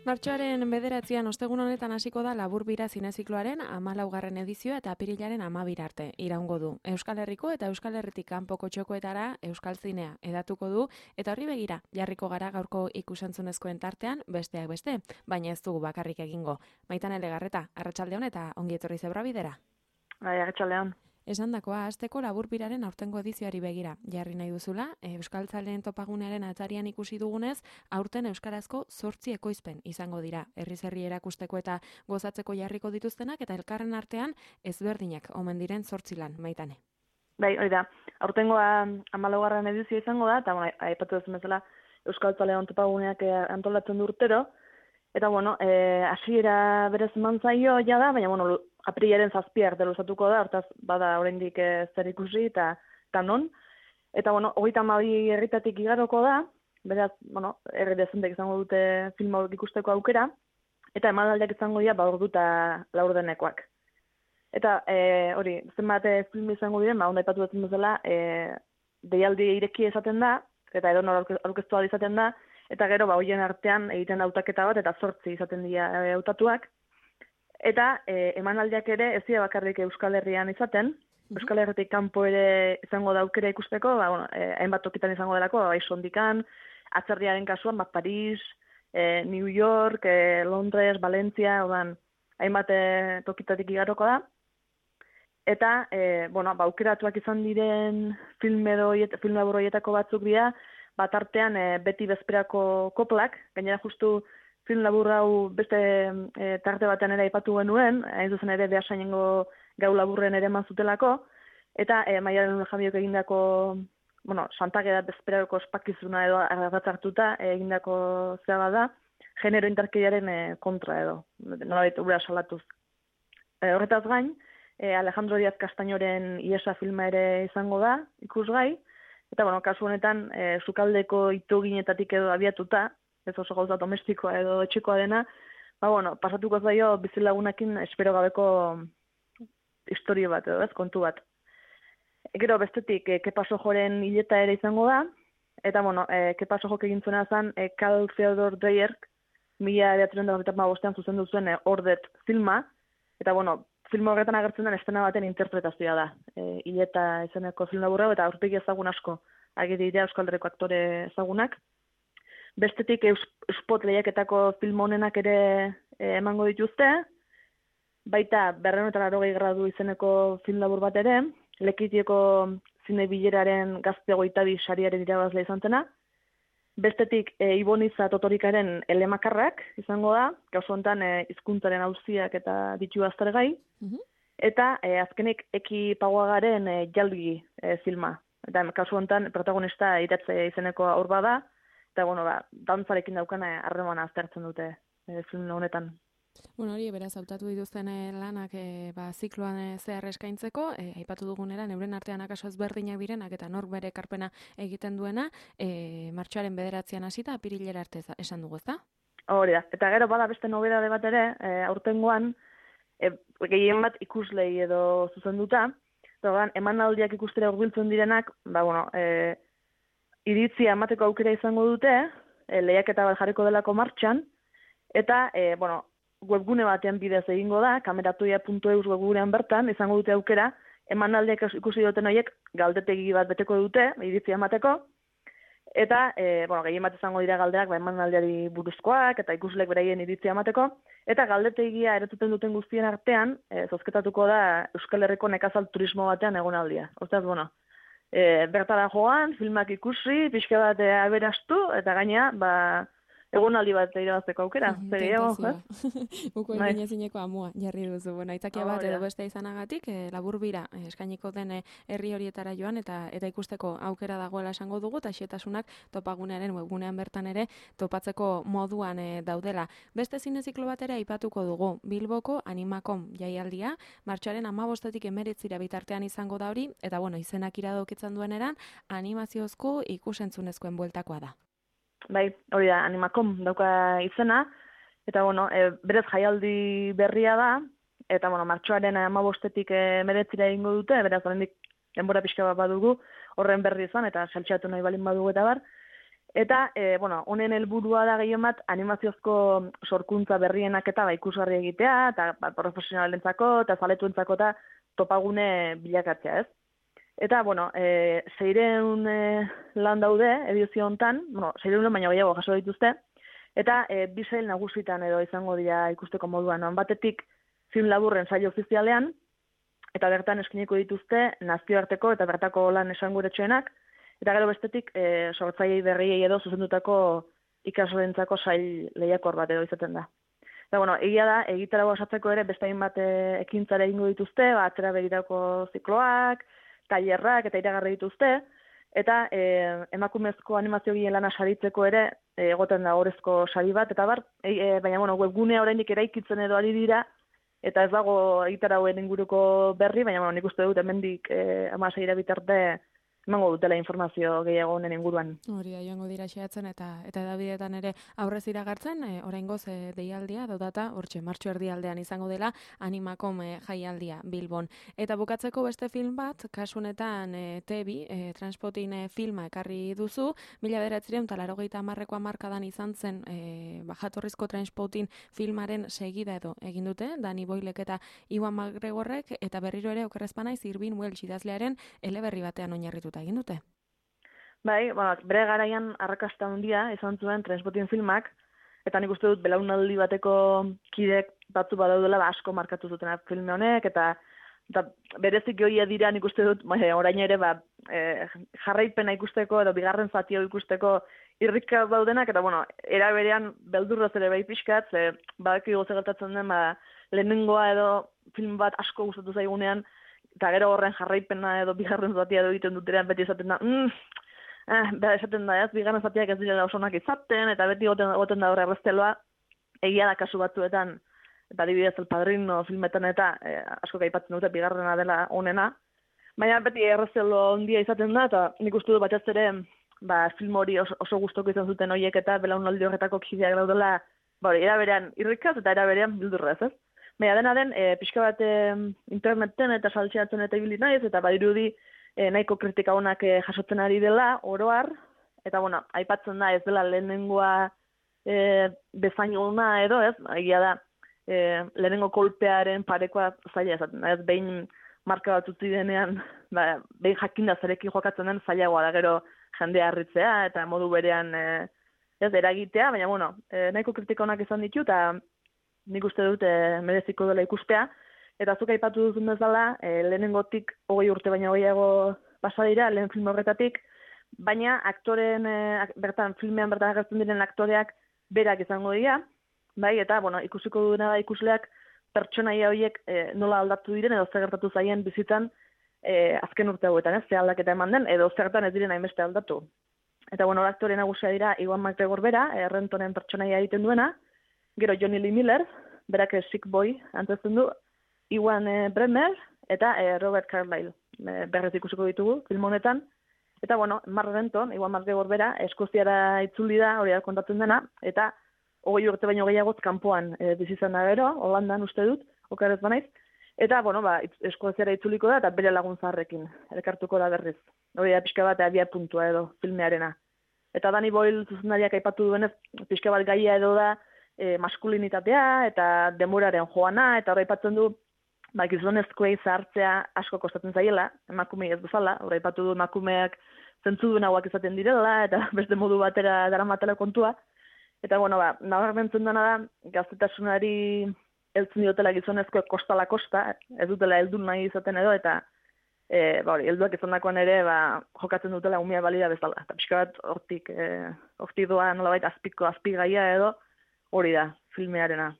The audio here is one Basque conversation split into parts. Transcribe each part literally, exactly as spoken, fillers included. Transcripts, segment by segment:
Martxoaren bederatzian ostegun honetan hasiko da Laburbira zinezikloaren hamalaugarren edizioa eta apirilaren hamabira arte iraungo du. Euskal Herriko eta Euskal Herritik kanpoko txokoetara Euskal Zinea edatuko du eta horri begira jarriko gara gaurko ikusentzunezkoen tartean besteak beste, baina ez dugu bakarrik egingo. Maitane Legarreta, arratsalde on eta ongi etorri Zebrabidera. Bai, arratsalde on. Esandakoa hasteko Laburbiraren aurtengo edizioari begira jarri nahi duzula, Euskaltzaleen topagunearen atarian ikusi dugunez, aurten euskarazko zortzi ekoizpen izango dira. Herriz herri erakusteko eta gozatzeko jarriko dituztenak eta elkarren artean ezberdinak omen diren zortzi lan, Maitane. Bai, hori da. Aurtengoa hamalaugarren edizioa izango da, eta bueno, aipatu duzun bezala Euskaltzaleen topaguneak antolatzen du urtero. Eta bueno, eh hasiera berez eman zaio ja da, baina bueno, aprilaren zazpiak deluzatuko da, hortaz bada oraindik e, zer ikusi eta eta non. Eta bueno, hogeita hamabi herritatik igaroko da, beraz, bueno, herri dezentek izango dute film hauek ikusteko aukera, eta emanaldiak izango dira ba ordu eta laurdenekoak. Eta e, hori, zenbat film izango diren, ba onda aipatu duten bezala, e, deialdi ireki esaten da, eta edonor aurkeztu ahal izaten da, eta gero ba hoien artean egiten hautaketa bat eta zortzi izaten dira hautatuak. Eta e, emanaldiak ere ez dira bakarrik Euskal Herrian izaten, mm-hmm. Euskal Herritik kanpo ere izango da aukera ikusteko, ba bueno, eh, hainbat tokitan izango delako, bai Sondikan, atzerriaren kasuan, ba Paris, eh, New York, eh, Londres, Valencia, odan hainbat eh, tokitatik igaroko da. Eta eh, bueno, ba aukeratuak izan diren film edo film labur horietako batzuk dira, bat artean e, beti bezperako koplak, gainera justu film labur hau beste e, tarte batean ere aipatu genuen, hain zuzen ere Beasainengo gau laburren ere eman zutelako, eta e, Maialen Jabiok egindako, bueno, Santageda bezperako ospakizuna edo ardatz hartuta e, egindako zera da, genero indarkeriaren e, kontra edo, nolabait ura salatuz. E, horretaz gain, e, Alejandro Díaz Castañoren Iesa filma ere izango da, ikusgai, eta, bueno, kasu honetan, e, sukaldeko itoginetatik edo abiatuta, ez oso gauza domestikoa edo etxekoa dena, ba, bueno, pasatuko zaio bizilagunekin espero gabeko historia bat edo, ez, kontu bat. E, gero, bestetik, e, Kepa Sojoren hileta ere izango da, eta, bueno, e, Kepa Sojok egin zuena zen, e, Karl Theodor Dreyer, mila bederatziehun eta hogeita bostean zuzendu zuen e, Ordet filma, eta, bueno, film horretan agertzen den estena baten interpretazioa da. E, hileta izeneko film laburra eta aurpegi ezagun asko agiri dira Euskal Herriko aktore ezagunak. Bestetik Euspot lehiaketako film honenak ere e, emango dituzte, baita berrehun eta laurogei gradu izeneko film labur bat ere, Lekitieko zine bileraren gazte hogeita bi sariaren irabazle izan zena. Bestetik e, Iboniza Totorikaren elemakarrak izango da, kasu honetan e, hizkuntzaren auziak eta ditu aztergai, mm-hmm. Eta e, azkenik Eki Paguagaren e, Jalgi e, filma. Eta kasu honetan protagonista iratze izeneko aur bada, eta bueno, ba, dantzarekin daukana harremana aztertzen dute e, film honetan. Bueno, hori, beraz, hautatu dituzten lanak e, ba, zikloan e, zehar eskaintzeko, e, aipatu dugunera, neuren artean akaso ezberdinak direnak eta nork bere ekarpena egiten duena, e, martxoaren bederatzian hasita apirilera arte esan dugu, ezta? Hori da, eta gero bada beste nobedade bat ere, e, aurtengoan, e, gehien bat ikuslei edo zuzenduta, eta emanaldiak ikustera hurbiltzen direnak, ba, bueno, e, iritzia emateko aukera izango dute, e, lehiaketa bat jarriko delako martxan, eta, e, bueno, webgune batean bidez egingo da, kameratuia puntu eus webgunean bertan, izango dute aukera, emanaldiak ikusi duten horiek galdetegi bat beteko dute, iritzia emateko, eta, e, bueno, gehien bat izango dira galdeak, ba, emanaldiari buruzkoak, eta ikuslek beraien iritzia emateko, eta galdetegia eretuten duten guztien artean, e, zozketatuko da Euskal Herriko nekazal turismo batean egonaldia. Ostaz, bueno, e, bertara joan, filmak ikusi, pixka bat e, aberastu, eta gaina, ba, egonaldi bat irabazteko aukera. Zer gehiago, eh? Uko egin ezineko amua, jarri duzu. Bueno, aitzakia bat edo beste izanagatik, eh, Laburbira eh, eskainiko den herri horietara joan eta eta ikusteko aukera dagoela esango dugu, eta xetasunak topagunearen webgunean bertan ere topatzeko moduan eh, daudela. Beste zineziklo bat ere aipatuko dugu, Bilboko Animakom jaialdia, martxoaren hamabostetik hemeretzira bitartean izango da hori, eta bueno, izenak iradokitzen duen eran, animaziozko ikusentzunezkoen bueltakoa da. Bai, hori da, Animakom dauka izena, eta, bueno, e, berez jaialdi berria da, eta, bueno, martxoaren hamabostetik hemeretzira egingo dute, beraz, oraindik denbora pixka bat badugu, horren berri izan, eta saltxatu nahi balin badugu eta bar, Eta, e, bueno, honen helburua da gehien bat animaziozko sorkuntza berrienak eta ba, ikusgarri egitea, eta ba, profesionalentzako, eta zaletuentzako eta topagune bilakatzea, ez? Eta, bueno, e, seireun e, lan daude edizio hontan, bueno, seireun baina gehiago jaso dituzte, eta e, bi sail nagusitan edo izango dira ikusteko moduan. Non batetik film laburren sail ofizialean, eta bertan eskiniko dituzte nazioarteko eta bertako lan esanguretsuenak, eta gero bestetik e, sortzailei berriei edo zuzendutako ikaslentzako sail lehiakor bat edo izaten da. Eta, bueno, egia da, egitarago osatzeko ere beste hainbat e, ekintzara egingo dituzte, ba, atzera begirako zikloak, tailerrak eta iragarri dituzte, eta e, emakumezko animazio gile lana saritzeko ere e, egoten da orezko sari bat, eta bar, e, e, baina, bueno, webgunea oraindik eraikitzen edo ari dira, eta ez dago egitaragoen inguruko berri, baina, bueno, nik uste dut hemendik e, amaseira bitarte emango dutela informazio gehiago honen inguruan. Hori da, joango dira xeatzen eta eta edabideetan ere aurrez iragartzen, e, oraingoz e, deialdia dodata, hortxe, martxo erdialdean izango dela Animakom e, jaialdia Bilbon. Eta bukatzeko beste film bat, kasunetan e, Tebi, e, Transpotin e, filma ekarri duzu, mila bederatziehun eta laurogeita hamarreko hamarkadan izan zen e, jatorrizko Transpotin filmaren segida edo egin dute, Dani Boylek eta Iwan McGregorrek, eta berriro ere okerrezpanaiz Irvin Welsh idazlearen eleberri batean oinarritu egin dute. Bai, bueno, bere garaian arrakasta handia izan zuen Transpotin filmak, eta nik uste dut belaunaldi bateko kidek batzu badaudela ba, asko markatu zuten filme honek, eta, eta berezik joia dira nik uste dut, ba, orain ere ba, e, jarraipena ikusteko edo bigarren zatio ikusteko irrika daudenak, eta bueno, era berean beldurraz ere bai pixkat, ze badaki goze gertatzen den, ba, lehenengoa edo film bat asko gustatu zaigunean, eta gero horren jarraipena edo bigarren zatia edo egiten duterean beti esaten da, mm, eh, bera esaten da ez, bigarren zatiak ez dira osonak izaten, eta beti goten, goten da horre errezteloa, egia da kasu batzuetan, eta adibidez El Padrino filmetan eta eh, asko gaipatzen dute bigarrena dela onena, baina beti erreztelo ondia izaten da, eta nik uste du batez ere, ba, film hori oso, oso gustoko izan zuten horiek eta belaunaldi horretako kideak daudela, ba, hori, era berean irrikaz eta era berean bildurrez, ez? Baina dena den, e, pixka bat e, interneten eta saltxeatzen eta ibili naiz, eta badirudi e, nahiko kritika honak e, jasotzen ari dela, oroar, eta bueno, aipatzen da ez dela lehenengoa e, bezain ona edo, ez? Egia da, e, lehenengo kolpearen parekoa zaila esaten da, ez? Behin marka bat utzi denean, ba, behin jakinda zerekin jokatzen den zailagoa da gero jendea harritzea, eta modu berean e, ez eragitea, baina bueno, e, nahiko kritika honak izan ditu, eta nik uste dut e, mereziko dela ikustea, eta zuk aipatu duzun bezala, e, lehenengotik hogei urte baina gehiago pasa dira, lehen film horretatik, baina aktoren, e, bertan, filmean bertan agertzen diren aktoreak berak izango dira, bai, eta, bueno, ikusiko duena da ikusleak pertsonaia horiek e, nola aldatu diren, edo zer gertatu zaien bizitzan e, azken urte hauetan, ez, ze aldaketa eman den, edo zertan ez diren hainbeste aldatu. Eta, bueno, aktore nagusia dira Iwan McGregor bera, errentonen pertsonaia egiten duena, gero Johnny Lee Miller, berak Sick Boy antzesten du, Iwan e, Bremer eta e, Robert Carlyle e, berrez ikusiko ditugu film honetan. Eta, bueno, Mark Renton, Iwan McGregor bera, Eskoziara itzuli da, hori da kontatzen dena, eta hogei urte baino gehiagoz kanpoan e, bizizan da gero, Holandan uste dut, okerrez banaiz. Eta, bueno, ba, Eskoziara itzuliko da, eta bere lagun zaharrekin, elkartuko da berriz. Hori da, pixka bat abia puntua edo, filmearena. Eta Danny Boyle zuzendariak aipatu duenez, pixka bat gaia edo da, E, maskulinitatea eta demoraren joana, eta horra aipatzen du ba, gizonezkoei zahartzea asko kostatzen zaiela, emakumei ez bezala, horra aipatu du emakumeak zentzudun hauak izaten direla, eta beste modu batera daramatela kontua. Eta, bueno, ba, nabarmentzen dena da, gaztetasunari heltzen diotela gizonezkoek kostala kosta, ez dutela heldun nahi izaten edo, eta e, ba, hori, helduak izandakoan ere ba, jokatzen dutela umia balida bezala. Eta pixka bat hortik, e, hortik doa nolabait azpiko azpigaia edo, hori da, filmearena.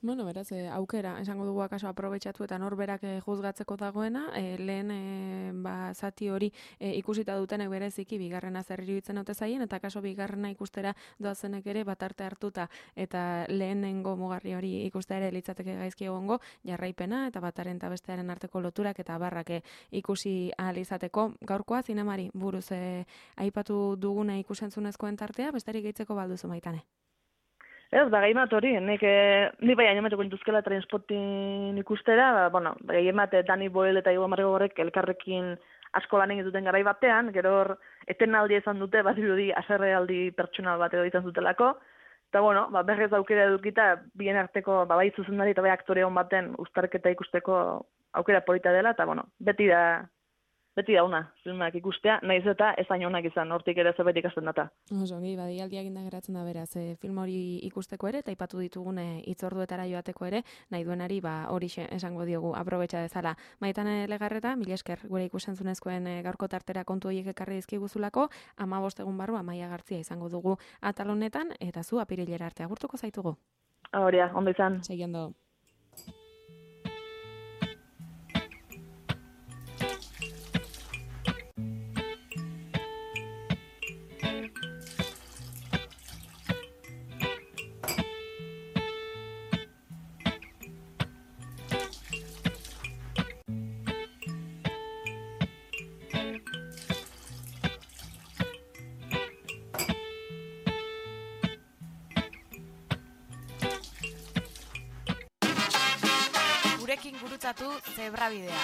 Bueno, beraz, e, aukera, esango dugu akaso aprobetxatu eta norberak e, juzgatzeko dagoena, e, lehen e, ba, zati hori e, ikusita dutenek bereziki bigarrena zer iruditzen ote zaien, eta akaso bigarrena ikustera doazenek ere batarte hartuta, eta lehenengo mugarri hori ikustera ere litzateke gaizki egongo, jarraipena eta bataren eta bestearen arteko loturak eta barrak ikusi ahal izateko. Gaurkoa, zinemari buruz e, aipatu duguna ikusentzunezkoen tartea, besterik gehitzeko balduzu Maitane. Ez, da gai bat hori, nik, eh, nik bai animatuko intuzkela Transpotin ikustera, ba, bueno, gai bat Danny Boyle eta Iwan McGregorrek elkarrekin asko lan egin duten garai batean, gero hor etenaldi izan dute, badirudi haserrealdi pertsonal bat edo izan zutelako, eta bueno, ba, berrez aukera edukita, bien arteko, ba, bai zuzendari eta bai aktore hon baten uztarketa ikusteko aukera polita dela, eta bueno, beti da, beti da una, filmak ikustea, nahiz eta ez hain onak izan, hortik ere zerbait ikasten data. Oso, gehi, badialdiak inda geratzen da beraz, e, film hori ikusteko ere, eta ipatu ditugune itzorduetara joateko ere, nahi duenari, ba, hori esango diogu, aprobetxa dezala. Maitane Legarreta, mila esker, gure ikusentzunezkoen e, gaurko tartera kontu horiek ekarri dizkiguzulako, amabost egun barru, Amaia Gartzia izango dugu atal honetan, eta zu apirilera arte agurtuko zaitugu. Horia, ondo izan. Segi ondo. Gurekin gurutzatu Zebrabidea.